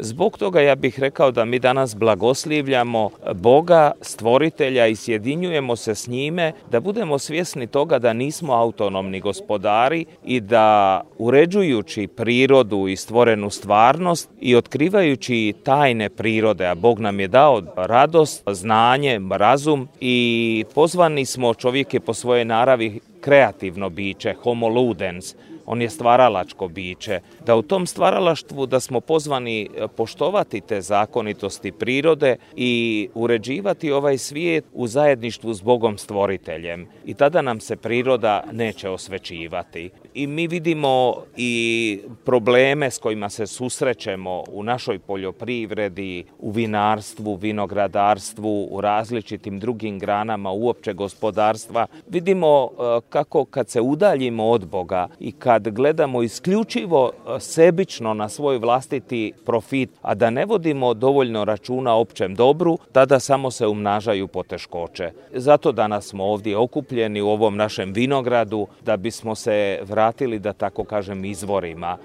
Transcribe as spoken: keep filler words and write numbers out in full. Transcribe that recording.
Zbog toga ja bih rekao da mi danas blagoslivljamo Boga, stvoritelja i sjedinjujemo se s njime, da budemo svjesni toga da nismo autonomni gospodari i da uređujući prirodu i stvorenu stvarnost i otkrivajući tajne prirode, a Bog nam je dao radost, znanje, razum i pozvani smo, čovjek je po svojoj naravi kreativno biće, homo ludens, on je stvaralačko biće, da u tom stvaralaštvu da smo pozvani poštovati te zakonitosti prirode i uređivati ovaj svijet u zajedništvu s Bogom stvoriteljem. I tada nam se priroda neće osvećivati. I mi vidimo i probleme s kojima se susrećemo u našoj poljoprivredi, u vinarstvu, vinogradarstvu, u različitim drugim granama uopće gospodarstva. Vidimo kako kad se udaljimo od Boga i kad gledamo isključivo sebično na svoj vlastiti profit, a da ne vodimo dovoljno računa o općem dobru, tada samo se umnažaju poteškoće. Zato danas smo ovdje okupljeni u ovom našem vinogradu da bismo se vratili, da tako kažem, izvorima.